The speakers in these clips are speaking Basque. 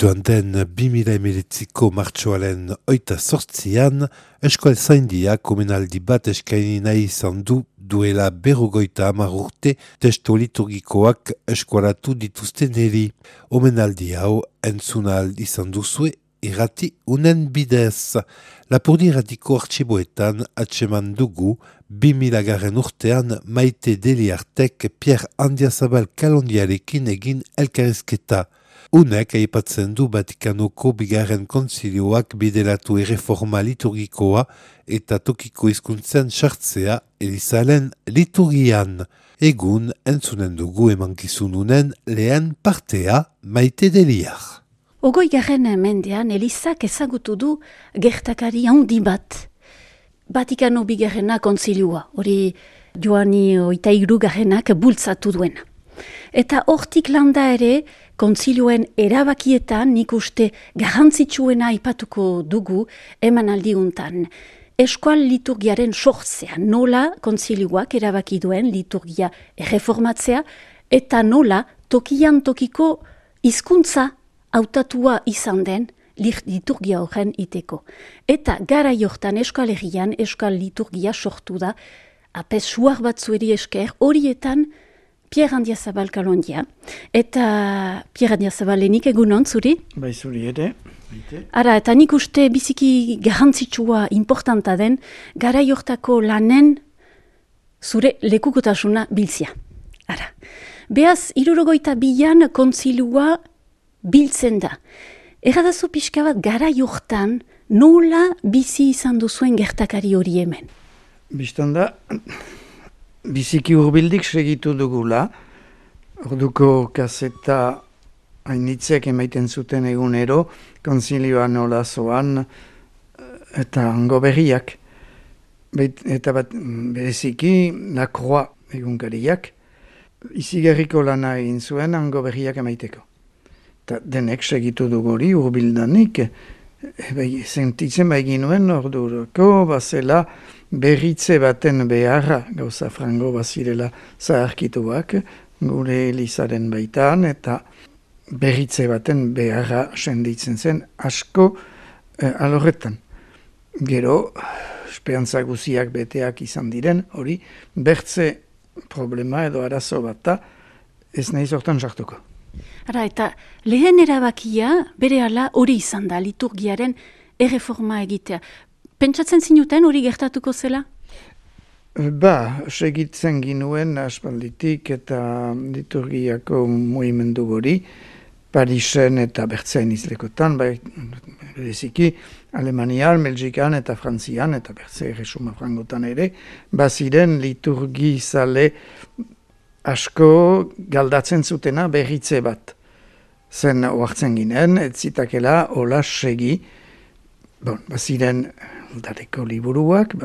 Joan den 2019ko martxoaren 28an, Eskoal Zaindia komunaldi bat eskaini nahi izan duela 50 urte testo liturgikoak eskualatu dituzten eri. Omenaldi hau entzunal izan duzue irrati unen bidez. Lapurdi irratiko artxiboetan atseman dugu 2000 urtean Maite Deliartek Pierre Andiazabal Kalondiarekin egin elkarrizketa. Unek aipatzen du Vatikanoko bigarren kontzilioak bideratu erreforma liturgikoa eta tokiko hizkuntzen sartzea Elizaren liturgian. Egun entzunen dugu emankizununen lehen partea Maite Deliar. 20. mendean Elizak ezagutu du gertakari handi bat. Vatikano bigarrena kontzilioa, hori Joani 23 bultzatu duena. Eta hortik landa ere, kontzilioen erabakietan nik uste garrantzitsuena aipatuko dugu emanaldiuntan. Eskual liturgiaren sortzea, nola kontzilioak erabaki duen liturgia erreformatzea, eta nola tokian tokiko hizkuntza hautatua izan den liturgia horren iteko. Eta gara jortan Euskal Herrian Euskal liturgia sortu da, apes suar batzueri esker, horietan Pierre Andiazabal Kalondia. Eta Pierre Andiazabal lenik egunon zuri? Bai zuri ere. Ara, eta nik uste biziki garrantzitsua importanta den, gara jortako lanen zure lekukotasuna biltzia. Ara, behaz, 62an kontzilua biltzen da. Erradazu pixka bat gara jortan nola bizi izan duzuen gertakari hori hemen? Bistan da, biziki hurbildik segitu dugula, orduko kaseta hainitzek emaiten zuten egunero, konzilioa nola zoan, eta hango berriak. Eta bat bereziki, lakroa egunkariak, izigarriko lana egin zuen hango berriak emaiteko. Eta denek segitu duguri hurbildanik, sentitzen baigin nuen ordurako, bazela berritze baten beharra, gauza frango bazirela zaharkituak, gure Elizaren baitan, eta berritze baten beharra senditzen zen asko alorretan. Gero, esperantza guziak beteak izan diren, hori bertze problema edo arazo bat ez nahi zortan sartuko. Ara, eta lehen erabakia berehala hori izan da liturgiaren erreforma egitea. Pentsatzen zinuten hori gertatuko zela? Segitzen ginuen aspalditik eta liturgiako mugimendu hori, Parisen eta bertzein izlekotan, bereziki Alemanian, Belgikan eta Frantzian eta bertze erresuma frangotan ere, baziren liturgizale asko galdatzen zutena berritze bat. Zen oartzen ginen, ez zitakela hola segi, baziren dareko liburuak,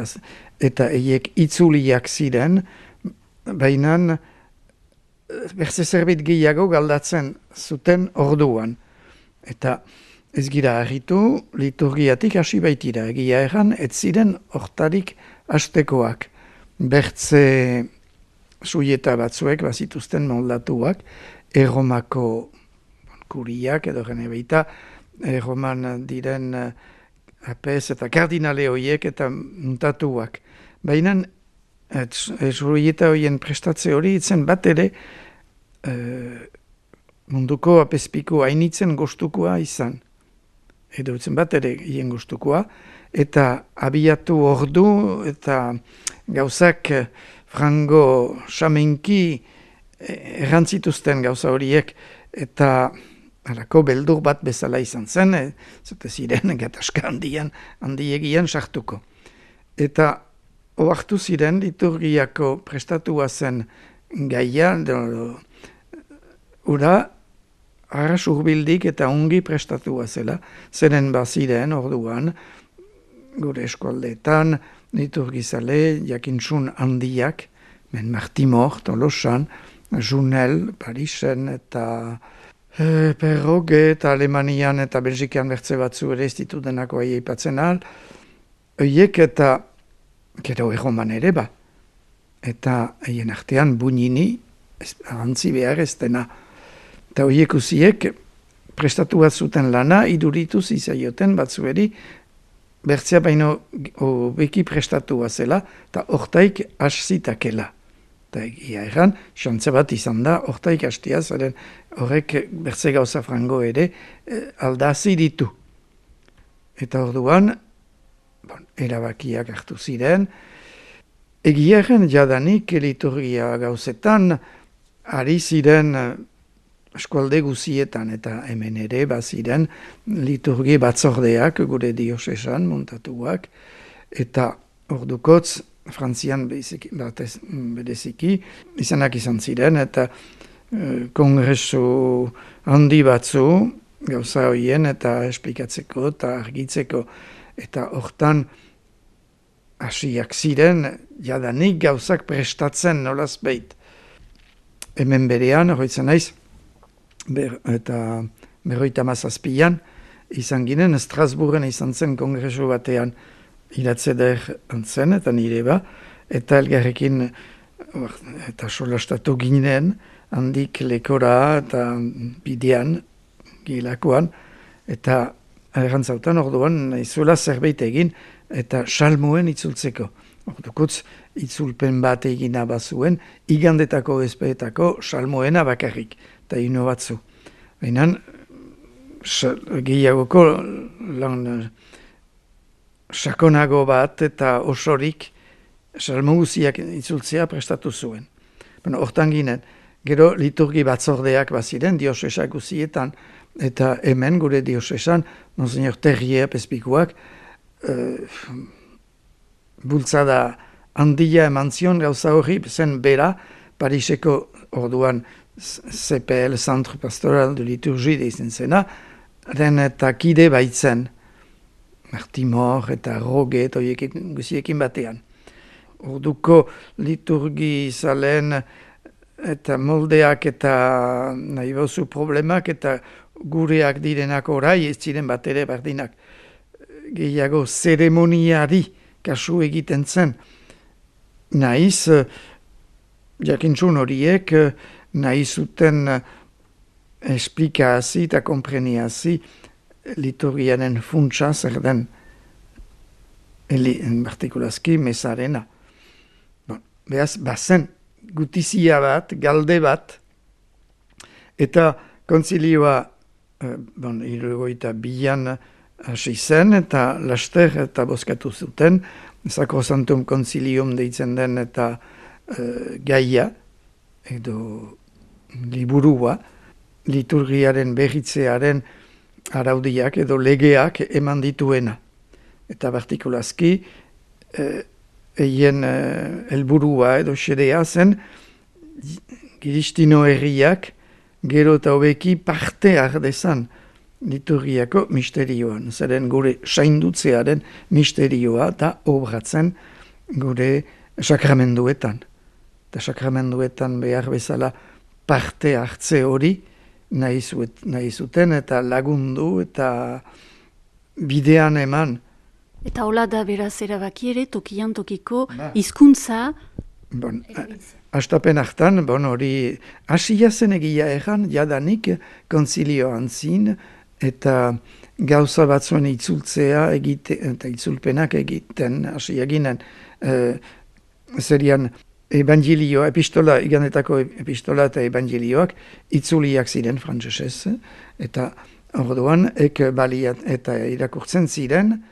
eta eiek itzuliak ziren, baina berze zerbait gehiago galdatzen zuten orduan. Eta ez gira harritu, liturgiatik hasi baitira, egia erran, ez ziren hortarik hastekoak. Bertze suieta batzuek bazituzten moldatuak, Erromako kuriak edo gene baita, Erroman diren apes eta kardinale horiek eta muntatuak. Baina suieta horien prestatze hori itzen bat ere munduko apespiko hainitzen gostukoa izan. Edo itzen bat ere hien gostukoa, eta abiatu ordu eta gauzak frango xamenki errantzituzten gauza horiek, eta halako beldur bat bezala izan zen, zute ziren gatazka handiegian sartuko. Eta oartu ziren liturgiako prestatua zen gaia, ura arras urbildik eta ongi prestatua zela, zeren baziren orduan, gure eskualdeetan, liturgizale, jakintsun handiak, Martimor, Tolosan, Junel, Parisen eta Perroge eta Alemanian eta Belgikan bertze batzu ere ez ditu denako aipatzen ahal, oiek eta gero Erroman ere ba. Eta haien artean Buñini, antzi behar ez dena. Eta oiek usiek prestatu bat zuten lana, iduritu zizaioten batzueri, bertzea baino beki prestatua zela, eta hortaik haszitakela. Eta egia erran, xantza bat izan da, hortaik hastia, zaren horrek bertze gauza frango ere aldazi ditu. Eta orduan, erabakiak hartu ziren, egia erran jadanik liturgia gauzetan, ari ziren eskualde guzietan eta hemen ere baziren liturgi batzordeak gure diosesan montatuak eta ordukotz Frantzian bereziki izanak izan ziren eta kongresu handi batzu gauza horien eta esplikatzeko eta argitzeko eta hortan hasiak ziren jadanik gauzak prestatzen nolaz behit. Hemen berean, horretzen naiz, eta 57an izan ginen, Strasbourgen izan zen kongresu batean iratzeder antzen, eta nire ba, eta elgarrekin eta solastatu ginen, handik lekora eta bidean, gilakoan, eta errantzautan orduan nahizuela zerbait egin, eta salmoen itzultzeko. Ordukotz, itzulpen bat egina bazuen, igandetako ezpeetako salmoena bakarrik, eta ino batzu. Baina, gehiagoko lan sakonago bat eta osorik salmo guziak itzultzea prestatu zuen. Hortan ginen, gero liturgi batzordeak baziren diosesak guzietan, eta hemen gure diosesan, Monsignor Terrier pespikuak, bultzada handia eman zion gauza hori, zen bera, Pariseko orduan CPL, Centre Pastoral de Liturgie deizen zena, den eta kide baitzen, Martimor eta Roge eta guziekin batean. Orduko liturgi zalen eta moldeak eta nahi bozu problemak eta gureak direnak orai ez ziren bat ere berdinak. Gehiago zeremoniari kasu egiten zen. Naiz, jakintzun horiek, nahi zuten esplikazi eta kompreniazi liturgiaren funtsa zer den, partikulazki mesarena. Beaz, bazen gutizia bat, galde bat, eta kontzilioa, 62an hasi zen, eta laster eta bozkatu zuten, Sacrosanctum Concilium deitzen den eta gaia, edo liburua, liturgiaren berritzearen araudiak edo legeak eman dituena. Eta partikulazki, eien helburua edo xedea zen, Kiristino herriak gero eta hobeki parte ardezan liturgiako misterioan. Zeren gure saindutzearen misterioa da obratzen gure sakramenduetan. Eta sakramenduetan behar bezala parte hartze hori nahi zuten eta lagundu eta bidean eman. Eta hola da beraz erabaki ere tokian tokiko hizkuntza. Astapen hartan, hori hasia zen egia erran, jadanik konzilioan zin, eta gauza batzuen itzultzea eta itzulpenak egiten hasia ginen. Zerian evangelioa, epistola, igandetako epistola eta evangelioak itzuliak ziren frantsesez, eta orduan baliat eta irakurtzen ziren,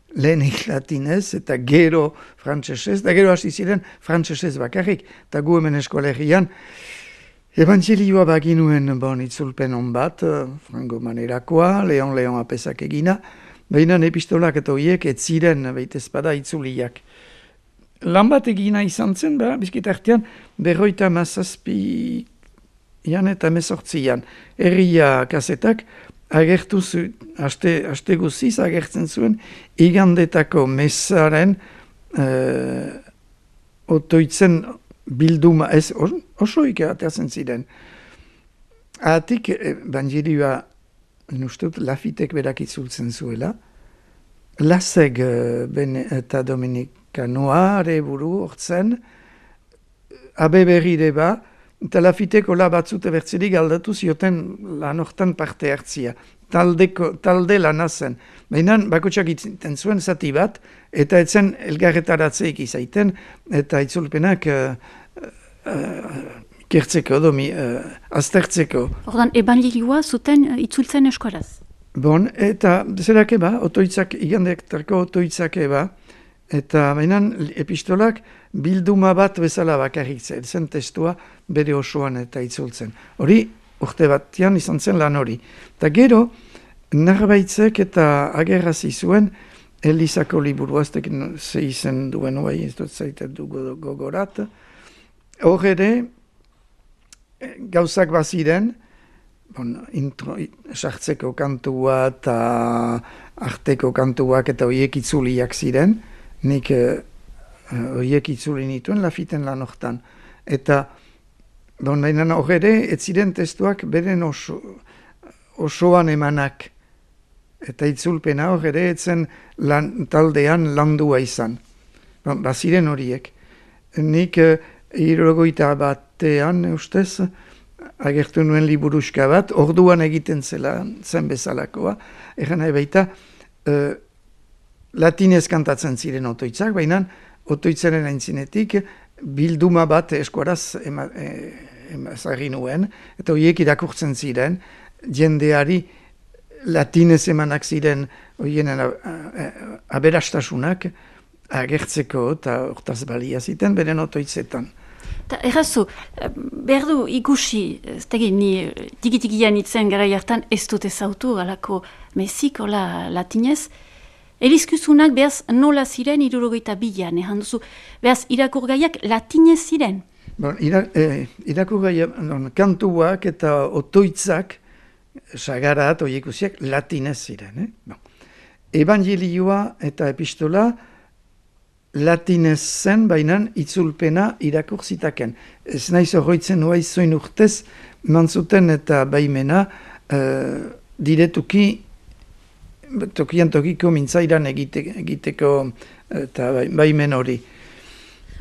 lehenik latinez eta gero frantsesez, eta gero hasi ziren frantsesez bakarrik, eta gu hemen eskolegian evangelioa baginuen itzulpen on bat, frango manerakoa, Leon apesak egina, baina epistolak eta horiek ez ziren behitezpada itzuliak. Lan bat egina izan zen, bizkit artean, 57 eta 18 herria kasetak agertu zuen, aste guziz agertzen zuen, igandetako mesaren otoitzen bilduma, ez osoik ateatzen ziren. Atik, evangelioa, nustut, Lafitek berak itzultzen zuela, Laseg eta Dominikanoa buru hortzen, abe berri deba, eta Lafiteko batzute bertzerik aldatu zioten lan hortan parte hartzia. Talde lana zen. Baina bakotsak itziten zuen zati bat, eta etzen elgarretaratzeik izaiten, eta itzulpenak kertzeko, aztertzeko. Ordan, ebanjilioa zuten itzultzen eskoraz? Bon, eta zerak otoitzak, igandektako otoitzak eta baina epistolak bilduma bat bezala bakarrik zen testua bere osoan eta itzultzen. Hori, urte batean izan zen lan hori. Eta gero, Narbaitzek eta agerrazi zuen Elizako liburu, aztek ze izen duen bai, ez dut zaitet du gogorat. Hor ere, gauzak baziren, sartzeko kantua eta arteko kantuak eta horiek itzuliak ziren, nik horiek itzuli nituen Lafiten lan hortan. Eta baina hor ere, ez ziren testuak beren osoan emanak. Eta itzulpena hor ere, etzen taldean landua izan. Baziren horiek. Nik 70 batean, ustez, agertu nuen liburuska bat, orduan egiten zen bezalakoa. Egan nahi baita, latinez kantatzen ziren otoitzak, baina otoitzaren aintzinetik bilduma bat eskuaraz ezagri nuen, eta horiek irakurtzen ziren, jendeari latinez emanak ziren horienen aberastasunak agertzeko eta hortaz balia ziten beren otoitzetan. Errazu, behar du ikusi, ez tegin, ni tiki-tikian itzen gara jartan ez dut ezautu, galako mezik, hola latinez. Elizkuzunak behaz nola ziren 72an, ehan duzu, behaz irakurgaiak latinez ziren? Irakurgaiak, kantuak eta otoitzak, sagarat, oiekusiak, latinez ziren. Evangelioa eta epistola, latinez zen, baina itzulpena irakur zitaken. Ez naiz horroitzen nuai zoin urtez, mantzuten eta baimena diretuki tokian tokiko mintzairan egiteko eta baimen hori.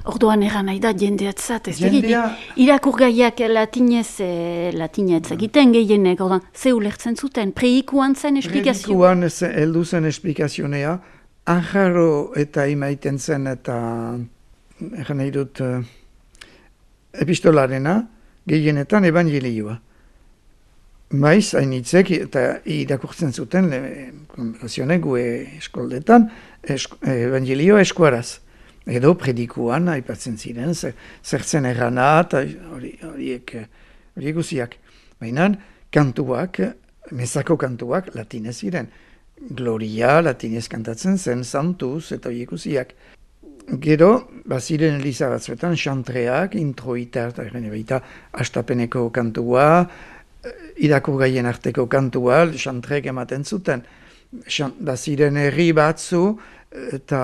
Orduan eran nahi da jendeatzat, ez irakurgaiak latinez egiten gehienek, orduan, ze ulertzen zuten, preikuan zen esplikazioa? Preikuan heldu zen esplikazionea, anjaro eta imaiten zen eta egan nahi dut epistolarena, gehienetan evangelioa. Maiz, hainitzek eta irakurtzen zuten, konverazionek gue eskoldetan, evangelioa eskuaraz. Edo predikuan, aipatzen ziren, zertzen errana eta horiek guziak. Baina kantuak, mezako kantuak latinez ziren. Gloria latinez kantatzen zen, santuz eta horiek guziak. Gero, baziren eliza batzuetan, xantreak, introitar, eta eren baita astapeneko kantua, irakurgaien arteko kantua, xantrek ematen zuten. Baziren herri batzu, eta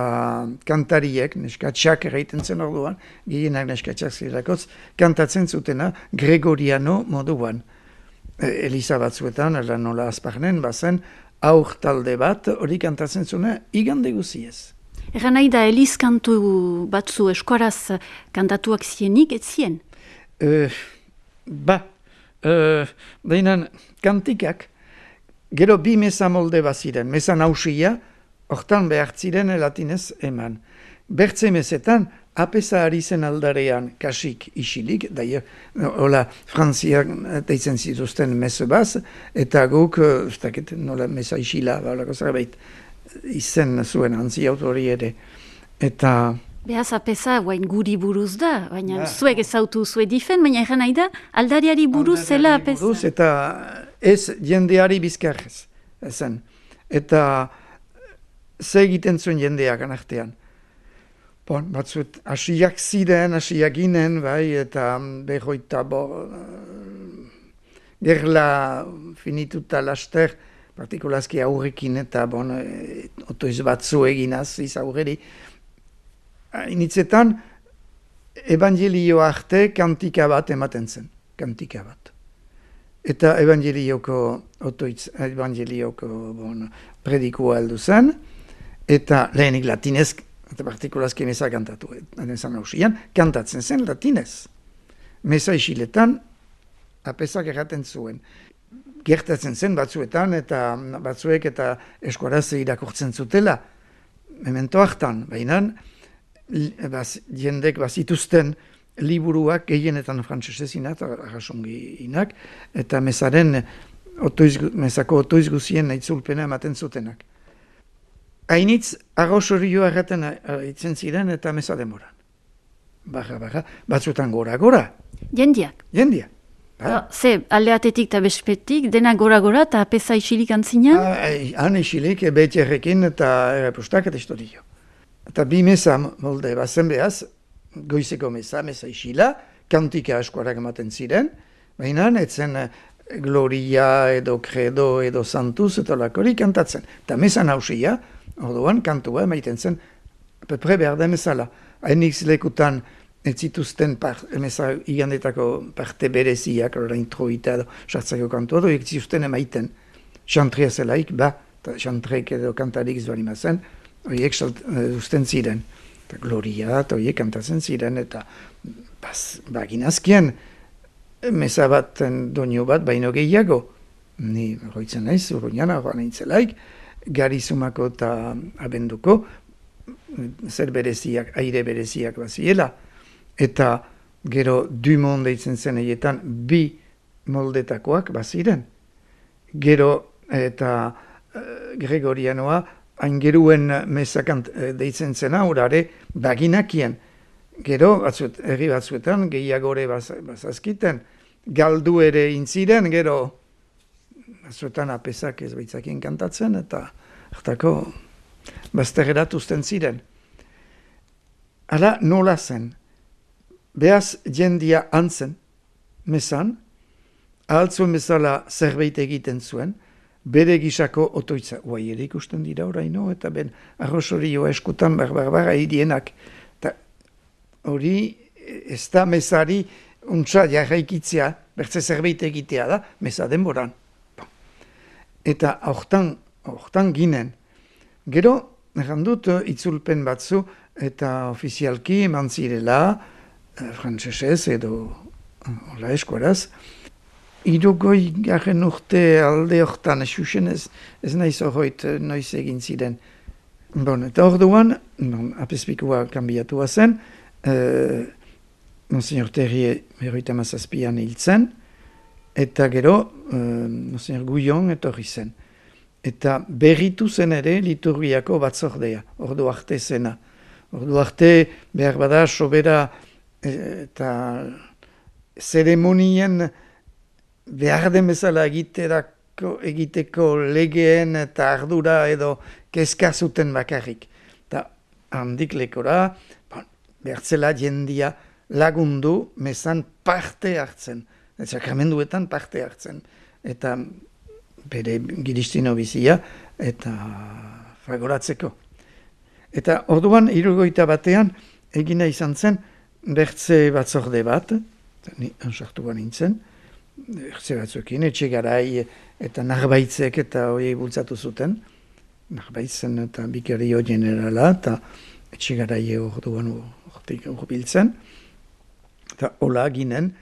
kantariek, neskatxak erraiten zen orduan, gehienak neskatxak zirakoz, kantatzen zutena Gregoriano moduan. Eliza batzuetan, nola azparnen, bazen, aur talde bat, hori kantatzen zuna, igande guziez. Egan nahi da, eliz kantu batzu eskuaraz kantatuak zienik, ez zien? Dainan, kantikak, gero bi meza molde baziren, meza nausia, hortan behar ziren latinez eman. Bertze mezetan, apesa ari zen aldarean kasik isilik, hola Frantziak deitzen zituzten meze baz, eta guk, nola meza isila, balako zerbait, izen zuen antzi autori ere. Eta... Behaz apesa, guain guri buruz da, baina zuek ezautu zue difen, baina egan nahi da, aldariari buruz zela apesa. Aldariari buruz eta ez jendeari bizkarrez, ezen. Eta... ze egiten zuen jendeak anartean. Batzuet, asiak ziren, asiak ginen, bai, eta behoita gerla finituta laster, partikulazki aurrekin, eta otoiz batzu eginaz, iz aurreri. Initzetan, evangelio arte kantika bat ematen zen, kantika bat. Eta evangelioko predikua heldu zen, eta lehenik latinez, eta partikulazki meza kantatu, kantatzen zen latinez. meza isiletan, apesak erraten zuen. Gertatzen zen batzuetan, eta batzuek eta eskuaraz irakurtzen zutela, memento hartan, baina jendek bazituzten liburuak gehienetan frantsesesinak, arrasonginak, eta mezako otoiz guzien itzulpena ematen zutenak. Hainitz, arrosorioa erraten itzen ziren eta meza demoran. Barra, batzuetan gora. Jendiak. Ze, aldeatetik eta bespetik, dena gora eta apesa isilik antzinean? Han isilik, betierrekin eta errepustak eta istorio. Eta bi meza molde bazen behaz, goizeko meza isila, kantika eskuarak ematen ziren, baina etzen Gloria edo Credo edo Santuz eta lakori kantatzen. Eta meza nausia, orduan kantua emaiten zen, pepre behar da mezala. Hainix lekutan ez zituzten meza igandetako parte bereziak, introita edo sartzako kantua, edo ez zituzten emaiten. Xantria zelaik, xantrek edo kantarik zuari mazen, horiek usten ziren. Eta Gloria, eta horiek kantatzen ziren, eta baginazkien, meza bat, doinu bat, baino gehiago. Ni roitzen naiz, urruñana, joan aintzelaik, Garizumako eta Abenduko, zer bereziak, aire bereziak baziela, eta gero Dumont deitzen zen eietan bi moldetakoak baziren. Gero eta Gregorianoa, aingeruen mezakant deitzen zena, urare baginakien. Gero, herri batzuetan, gehiagore bazazkiten, galdu ere intziren, gero batzuetan apesak ez baitzakien kantatzen, eta hartako bazterrerat usten ziren. Hala nola zen, behaz jendia antzen, mezan, ahaltzuen bezala zerbait egiten zuen, bere gisako otoitza, guai ere ikusten dira oraino, eta ben arrosorioa eskutan barra idienak, eta hori ez da mezari untsa jarraikitzea, bertze zerbait egitea da, meza denboran. Eta hortan ginen. Gero, errandut itzulpen batzu, eta ofizialki eman zirela, frantsesez edo hola eskuaraz, 60 urte alde hortan, xuxen ez naiz horreit noiz egin ziren. Eta orduan, apespikua kanbiatua zen, Monsignor Terrier 57an hiltzen, eta gero Monsignor Guillon etorri zen. Eta berritu zen ere liturgiako batzordea, ordu arte zena. Ordu arte behar bada sobera eta zeremonien behar den bezala egiteko legeen eta ardura edo kezka zuten bakarrik. Eta handik lekora, behartzela jendia lagundu mezan parte hartzen, sakramenduetan parte hartzen. Eta bere giristino bizia eta fagoratzeko. Eta orduan 61 egina izan zen bertze batzorde bat, ni ansartu nintzen, bertze batzuekin, etxe garai eta Narbaitzek eta horiei bultzatu zuten, Narbaitzen eta bikario generala eta etxe garai orduan urbiltzen, eta hola ginen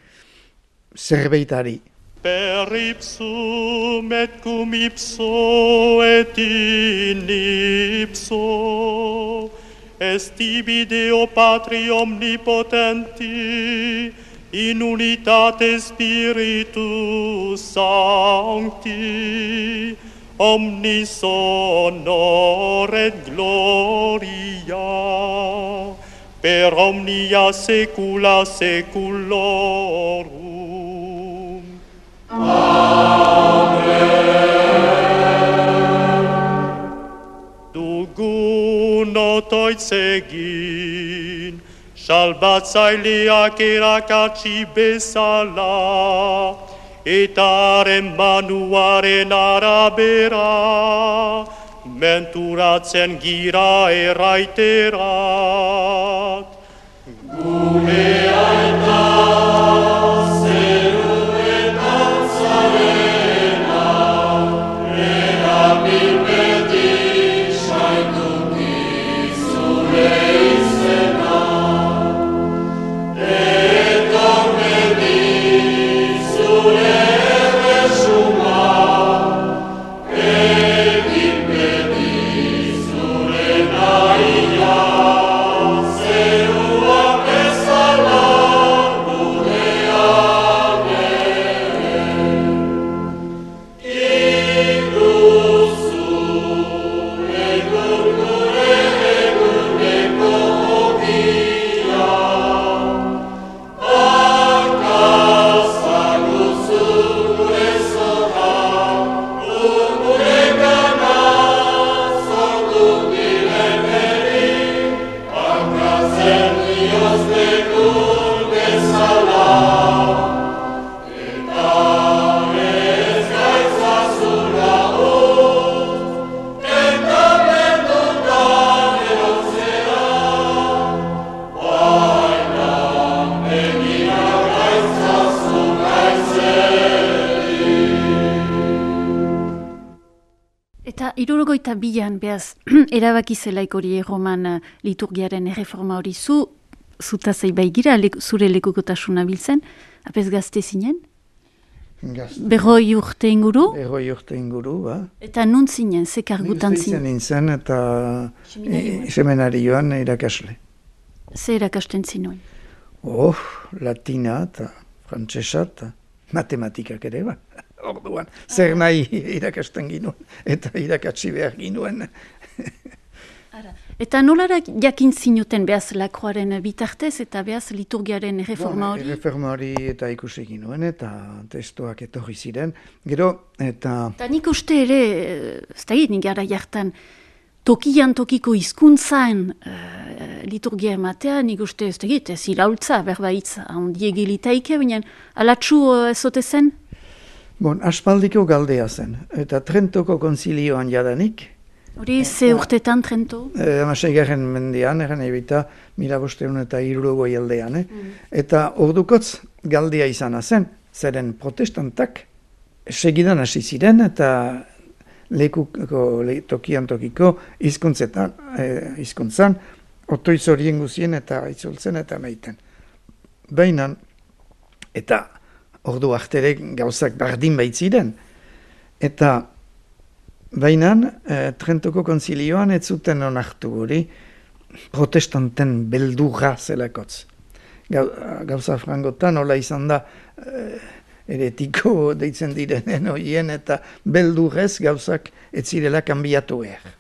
zerbeitari. Per ipsum et cum ipso et in ipso est tibi Deo Patri omnipotenti in unitate Spiritus Sancti omnis honor et gloria per omnia saecula saeculorum. Dugun otoitzegin, salbatzaileak erakatsi bezala, eta haren manuaren arabera, menturatzen gira erraiterat. Gure aita 62an behaz, erabaki zelaik hori Roman liturgiaren erreforma hori zutazei baigira, zure lekukotasuna biltzen, apez gazte zinen? Berroi urte inguru? Berroi urte inguru, ba. Eta nun zinen, ze kargutan zinen? Nintzen eta seminarioan irakasle. Ze erakasten zinuen? Latina eta frantsesa eta matematikak ere, ba. Orduan, zer nahi irakasten ginuen, eta irakatsi behar ginuen. Eta nolara jakin zinuten behaz Lakroaren bitartez eta behaz liturgiaren reforma hori? Reforma hori eta ikusi ginuen, eta testuak etorri ziren. Gero, eta... Eta nik uste ere, ez da nik gara jartan, tokian tokiko hizkuntzan liturgia ematea, nik uste ez da ez iraultza, berbaitz, handiegilitaike, baina alatsu ezote zen? Aspaldiko galdea zen, eta Trentoko konzilioan jadanik. Hori ze urtetan Trento? 16. mendean, eran ebita, 1503 aldean. Eta ordukotz galdea izana zen, zeren protestantak segidan hasi ziren, eta tokian tokiko hizkuntzan, otoiz horien guzien eta itzultzen eta meiten. Baina, eta ordu artere gauzak bardin baitziren. Eta baina Trentoko konzilioan ez zuten onartu hori protestanten beldurra zelakotz. Gauza frangotan hola izan da eretiko deitzen direnen horien eta beldurrez gauzak ez zirela kanbiatu behar.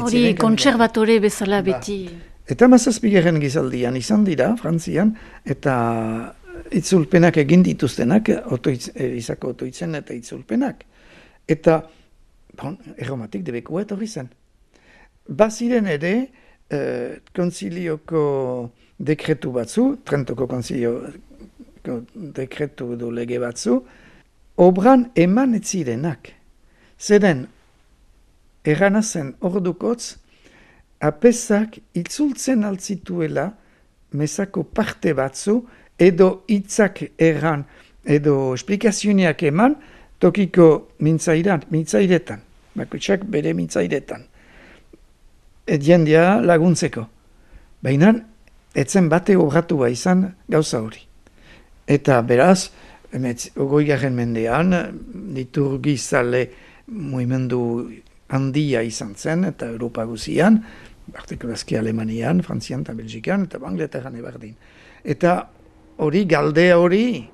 Hori kontserbatore bezala beti. Eta 17. gizaldian izan dira, Frantzian, eta itzulpenak egin dituztenak, izako otoitzen eta itzulpenak. Eta erromatik debekua etorri zen. Baziren ere, konzilioko dekretu batzu, Trentoko konzilioko dekretu du lege batzu, obran eman ez zirenak. Zeren, erranazen ordukotz, apesak itzultzen altzituela mesako parte batzu, edo hitzak erran, edo esplikazioak eman, tokiko mintzairetan, bakotsak bere mintzairetan. Jendia laguntzeko. Baina, etzen bate obratua izan gauza hori. Eta beraz, 20. mendean, liturgizale mugimendu handia izan zen, eta Europa guzian, partikulazki Alemanian, Frantzian eta Belgikan, eta Angleterran ebardin. Eta hori, galdea hori,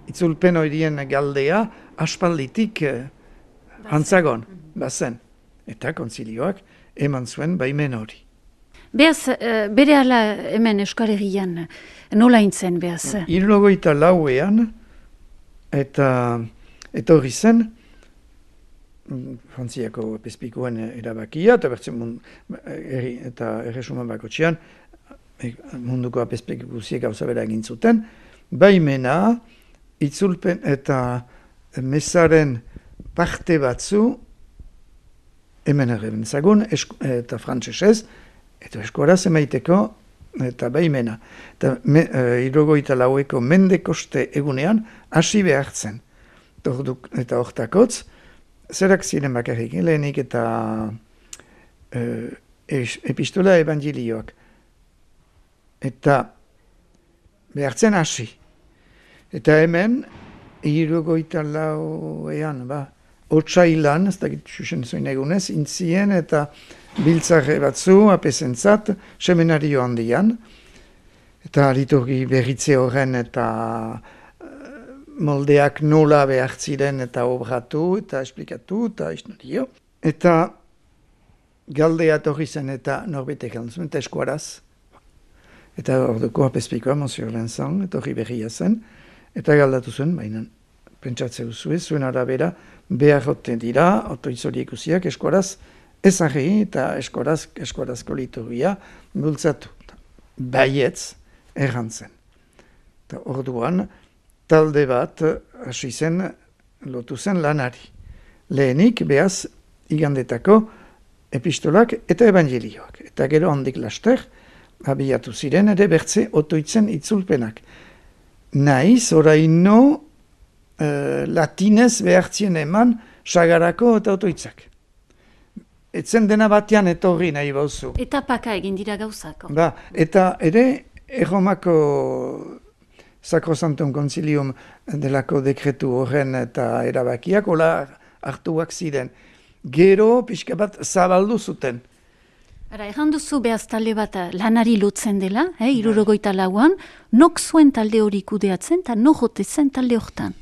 itzulpen horien galdea, aspalditik antzagon, bazen. Eta konzilioak eman zuen baimen hori. Beaz, bere ala hemen Euskal Herrian, nola intzen, beaz? 74ean, eta hori zen, Frantziako epespikoen erabakia, eta bertzen eta erresuman bakotxean, munduko apespek guziek gauza bera egin zuten, baimena, itzulpen eta mesaren parte batzu, hemen erreben zagun, eta frantsesez, eta eskoraz emaiteko, eta baimena. Eta 74eko mendekoste egunean, hasi behartzen. Eta hortakotz, zerak ziren bakarrik, lehenik eta epistola evangelioak. Eta behartzen hasi. Eta hemen, 74ean, otsailan, ez dakit xuxen zoin egunez, intzien eta biltzarre batzu, apesentzat, seminario handian, eta liturgi berritze horren eta moldeak nola behar ziren eta obratu, eta esplikatu, eta isnorio. Eta galdea torri zen eta norbetek altzun, eta eskuaraz. Eta orduko apespikoa, Monsieur Vincent, etorri berria zen, eta galdatu zuen, baina pentsatze duzue, zuen arabera, beharroten dira, otoitzoriek usiak, eskuaraz ezagri eta eskuarazko liturgia bultzatu. Baietz errantzen. Eta orduan, talde bat hasi zen, lotu zen lanari. Lehenik, behaz, igandetako epistolak eta evangelioak. Eta gero handik laster, abiatu ziren ere bertze otoitzen itzulpenak. Naiz, oraino latinez behartzien eman sagarako eta otoitzak. etzen dena batean etorri nahi bauzu. Eta paka egin dira gauzak. Eta ere, Erromako Sacrosanctum Concilium delako dekretu horren eta erabakiak, hola hartuak ziren. Gero, pixka bat, zabaldu zuten. Erran duzu behaz talde bat lanari lotzen dela, 64an, nok zuen talde hori kudeatzen, eta nok jote zen talde hortan?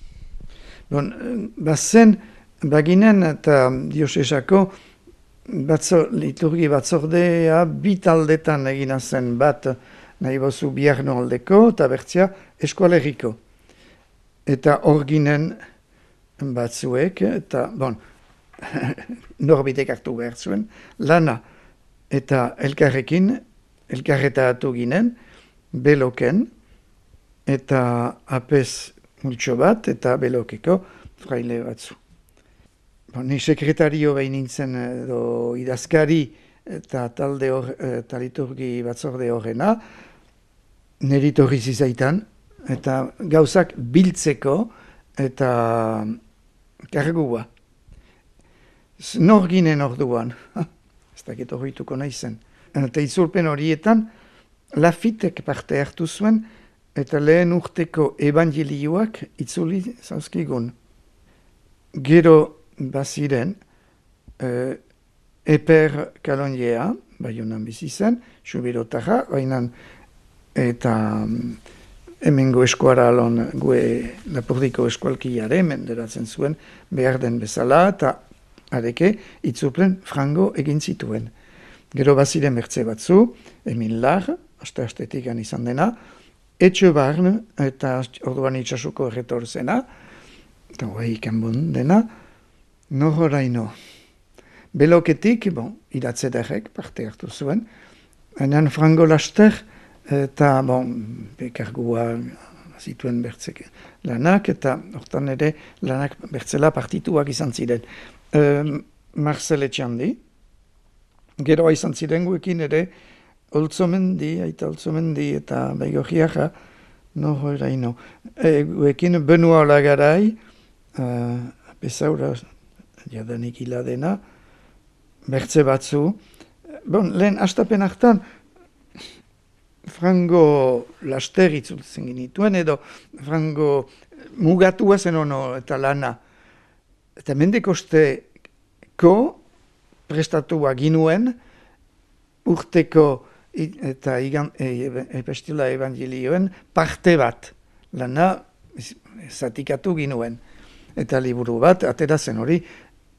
Bazen, baginen eta diosesako liturgi batzordea bi taldetan egina zen bat nahi bozu Biarno aldeko eta bertzia Eskualerriko. Eta hor ginen batzuek, eta norbitek hartu behar zuen, lana eta elkarretatu ginen, beloken, eta apez multxo bat, eta belokeko fraile batzu. Ni sekretario behin nintzen edo idazkari eta talde eta liturgi batzorde horrena, niri torri zizaitan, eta gauzak biltzeko eta kargua. Nor ginen orduan, ez dakit horrituko nahi zen. Eta itzulpen horietan, Lafitek parte hartu zuen, eta lehen urteko evangelioak itzuli zauzkigun. Gero baziren, Eper Kalonjea, Baionan bizi zen, Xubirotarra, bainan eta hemengo eskuaralon gue Lapurdiko eskualkiare menderatzen zuen behar den bezala, eta areke itzulpen frango egin zituen. Gero baziren bertze batzu, Emil Lar, aste-astetik izan dena, Etxe Barn, eta orduan itxasuko erretor zena, eta guai ikanbun dena, nohoraino. Beloketik, iratzedarek parte hartu zuen, baina frango laster, eta bekargua zituen bertzek lanak, eta hortan ere lanak bertzela partituak izan ziren. Marcel Etxandi, gero izan ziren guekin ere, Oltzomendi, eta Baigorriaja, nohoraino. Guekin Benua Olagarai, bezaura jadanik hiladena, bertze batzu. Lehen astapen hartan, frango laster itzultzen genituen, edo frango mugatua zen ono eta lana. Eta mendekosteko prestatua ginuen, urteko eta epestila evangelioen parte bat, lana zatikatu ginuen. Eta liburu bat, atera zen hori,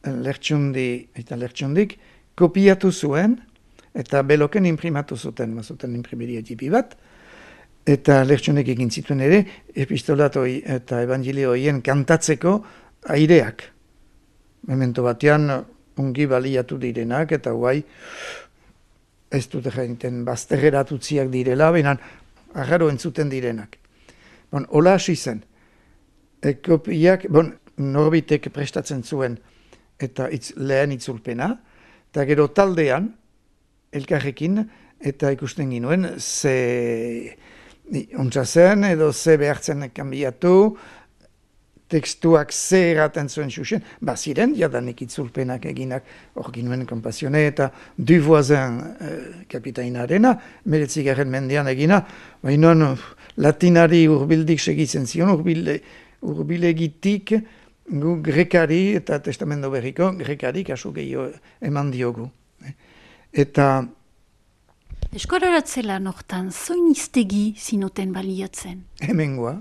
Lertxundik kopiatu zuen, eta beloken imprimatu zuten, mazuten imprimeria tipi bat, eta Lertxundik egin zituen ere, epistolatoi eta evangelioien kantatzeko aireak. Memento batean, ongi baliatu direnak, eta guai, ez dute jainten bazterreratutziak direla, baina agarro entzuten direnak. Hola hasi zen. Kopiak, norbitek prestatzen zuen eta lehen itzulpena, eta gero taldean, elkarrekin, eta ikusten ginuen, ze ontsa zen, edo ze behartzen kanbiatu, tekstuak ze erraten zuen xuxen, ziren, jadanik itzulpenak eginak, hor ginuen Kompasione eta Duvoisin kapitainarena, 19. mendean egina, baina latinari urbildik segitzen zion, urbilegitik gu grekari eta testamento berriko grekari kasu gehiago eman diogu. Eta Eskoraratzela nortan, zoin iztegi zinoten baliatzen? Hemengoa,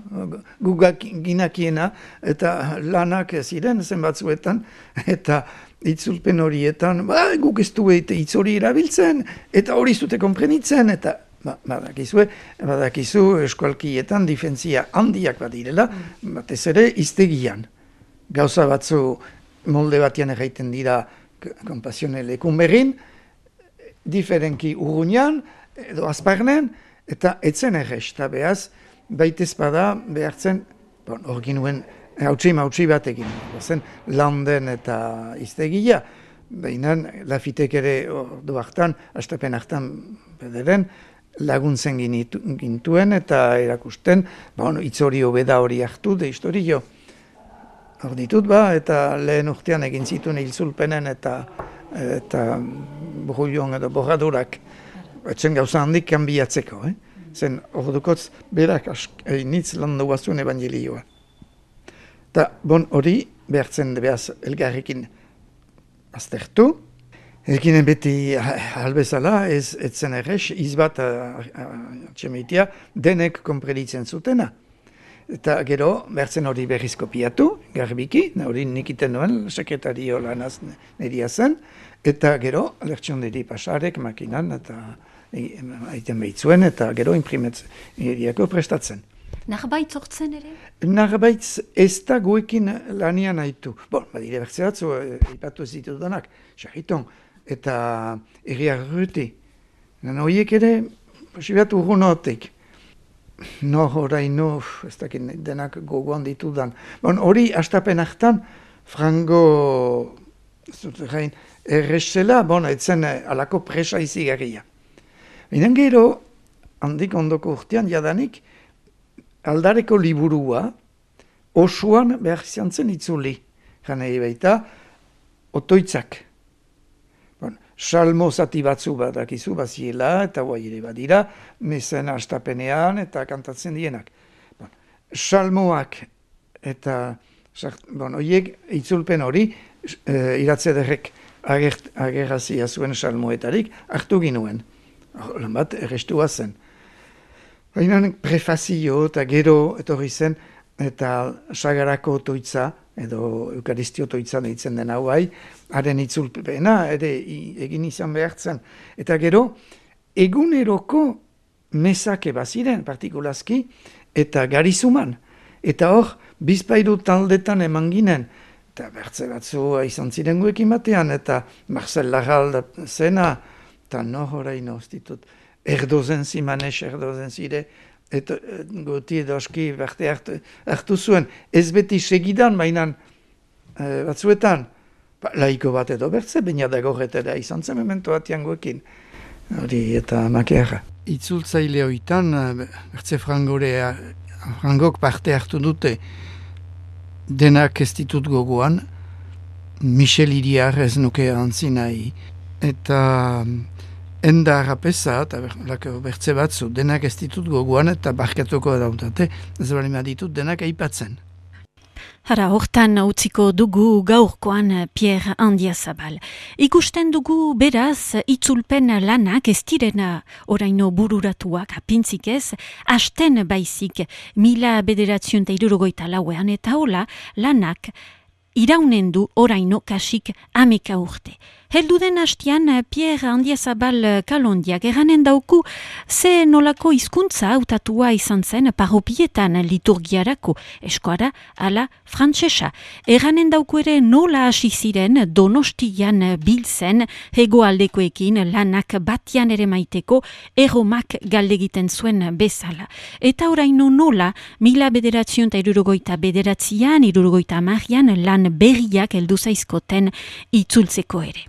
gugak ginakiena eta lanak ziren zenbatzuetan, eta itzulpen horietan, guk ez du hitz hori erabiltzen, eta hori zute konprenitzen, eta badakizu eskualkietan difentzia handiak badirela, batez ere iztegian. Gauza batzu molde batean erraiten dira Kompasione lekun berrin, diferenki urruñan, edo azparnen, eta etzen errez, eta behaz, baitez bada behartzen, hor ginuen, hautsi batekin, zen landen eta iztegia, baina Lafitek ere ordu hartan, astapen hartan bederen, laguntzen gintuen eta erakusten, hitz hori hobeda hori hartu, de historio. Hor ditut eta lehen urtean egin zituen hilzulpenen eta eta brulion edo borradurak, etzen gauza handik kanbiatzeko, Zen ordukotz berak nitz landu bazuen evangelioa. Eta hori behartzen behaz elgarrekin aztertu. Ekinen beti albezala ez zen errez, izbat atxemeitia denek konpreditzen zutena. Eta gero behartzen hori berriz kopiatu, garbiki, hori nikiten nuen, sekretario lanaz neria zen, eta gero alertxonderi pasarek makinan eta aiten behitzuen eta gero imprimeriako prestatzen. Narbaitz hortzen ere? Narbaitz ez da guekin lanian haitu. Badire bertze batzu, ipatu ez ditudanak, sarriton, eta erriak ruti. Horiek ere, posibatu urrunotek. Oraino, ez dakit denak gogoan ditudan. Hori, astapen hartan, frango, errezela, etzen alako presa izigarria. Binen gero, handik ondoko urtean jadanik, aldareko liburua osoan behar izan zen itzuli. Janei baita, otoitzak. Salmo zati batzu badakizu baziela eta guai ere badira, mezen astapenean eta kantatzen dienak. Salmoak eta, horiek itzulpen hori, iratzederrek agerrazia zuen salmoetarik hartu ginuen. Lan bat, errestua zen. Baina prefazio eta gero etorri zen, eta sagarako otoitza, edo eukaristio otoitza deitzen den hau bai, haren itzulpena, ere egin izan behartzen. Eta gero, eguneroko mesake baziren, partikulazki, eta garizuman. Eta hor, bizpairu taldetan eman ginen, eta bertze batzu izan ziren guekin batean, eta Marcel Larral zena, eta horaino ditut, erdozen zimanes, erdozen zire, eta goti edo aski berte hartu zuen, ez beti segidan, mainan batzuetan, laiko bat edo bertze, baina dago retera izan zen memento batian guekin, hori eta makeara. Itzultzaile hoitan, bertze frangok parte hartu dute, denak ez ditut gogoan, Michel Iriar ez nuke antzinai, eta enda harrapeza, eta bertze batzu, denak ez ditut gogoan eta barkatuko dautate, ez bali ditut denak aipatzen. Hara, hortan utziko dugu gaurkoan Pierre Andiazabal. Ikusten dugu beraz itzulpen lanak ez direna oraino bururatuak apintzik ez, hasten baizik 1964 eta hola lanak iraunen du oraino kasik 10 urte. Helduden hastian Pierre Andiazabal Kalondiak eranen dauku ze nolako hizkuntza hautatua izan zen parropietan liturgiarako eskoara ala frantsesa. Eranen dauku ere nola hasi ziren Donostian biltzen hegoaldekoekin lanak batian ere maiteko erromak galdegiten zuen bezala. Eta oraino nola 1979an, 1980an lan berriak heldu zaizkoten itzultzeko ere.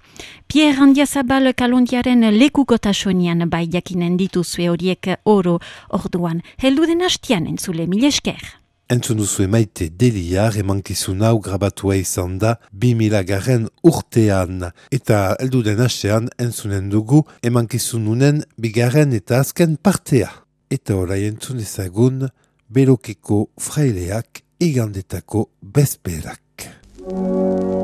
Pierre Andiazabal Kalondiaren lekukotasunean bai jakinen dituzue horiek oro orduan. Helduden hastian entzule, mil esker. Entzun duzue Maite Deliar emankizun hau grabatua izan da 2000 urtean. Eta helduden hastean entzunen dugu emankizununen bigarren eta azken partea. Eta orai entzun ezagun Berokeko fraileak igandetako bezperak. Amen.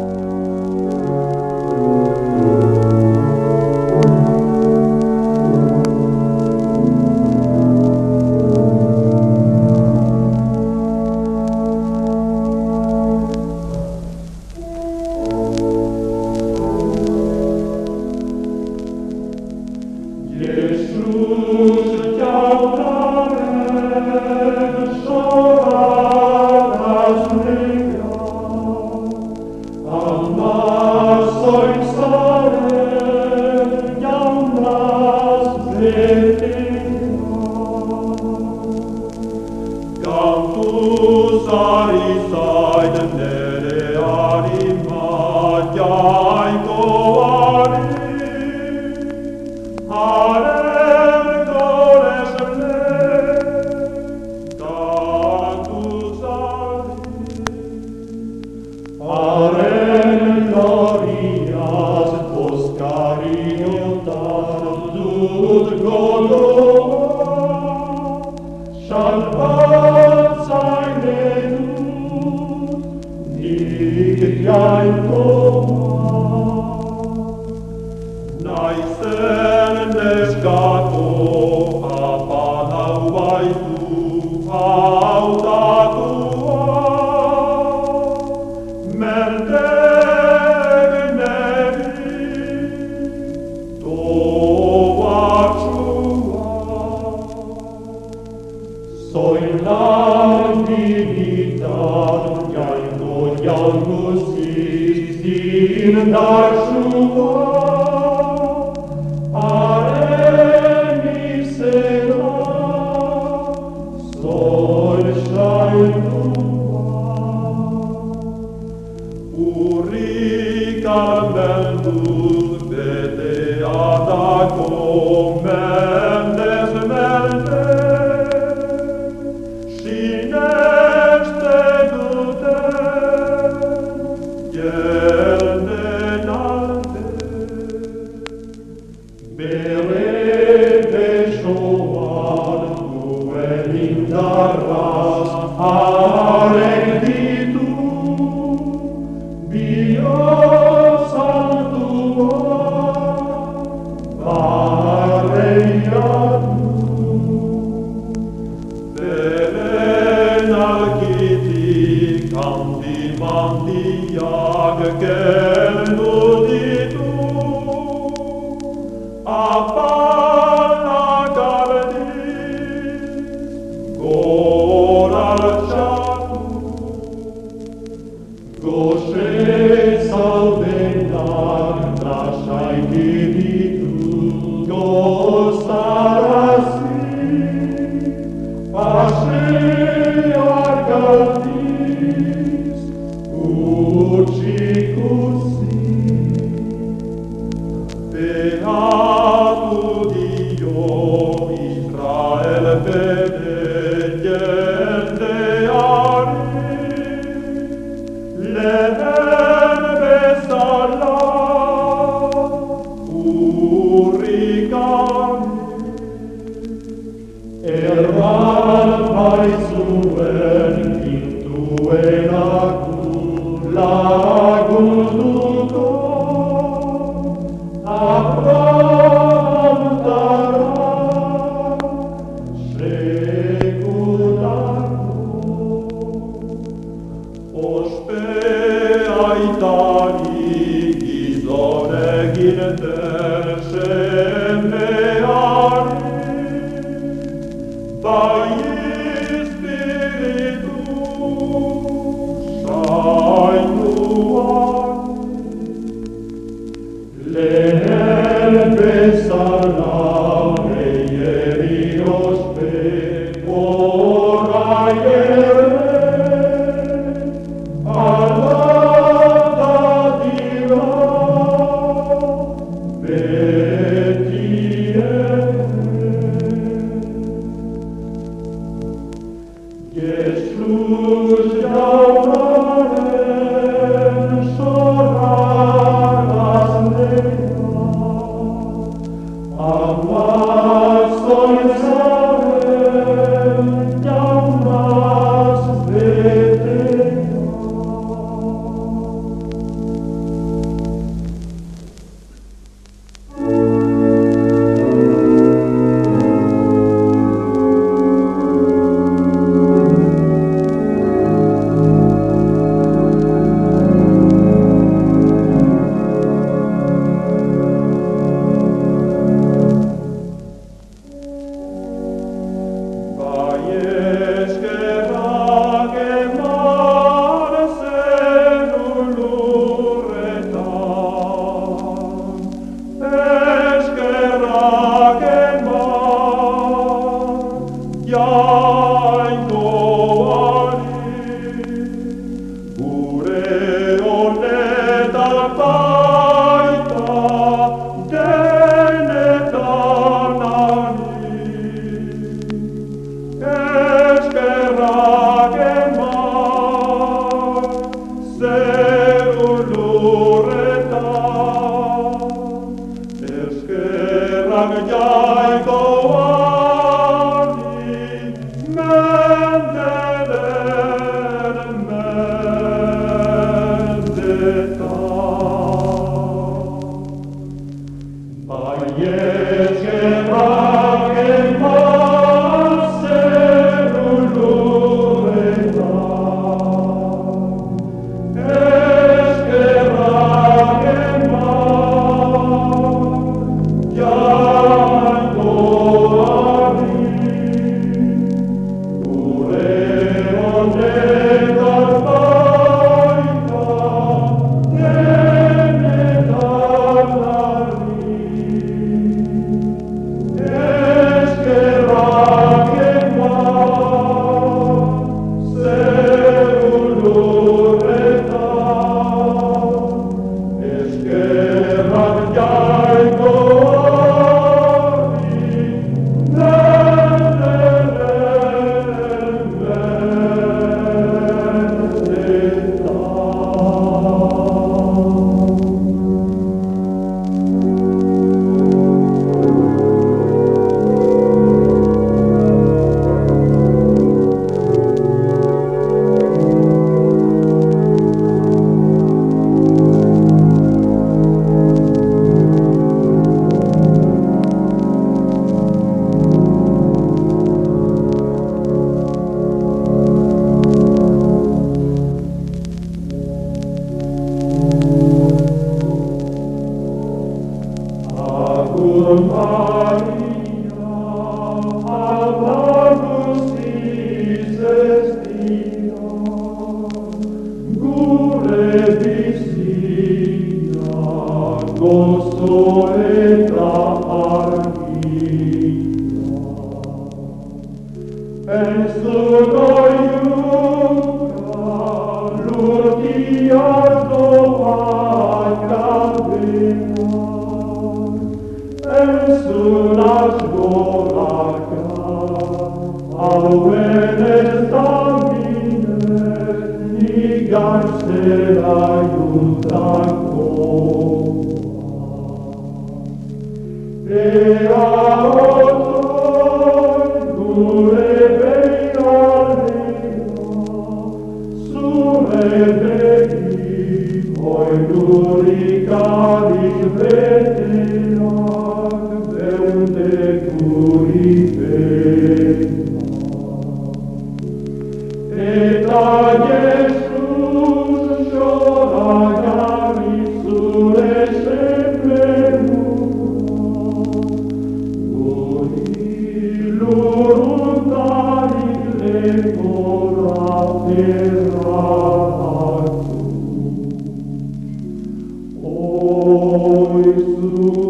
Oi,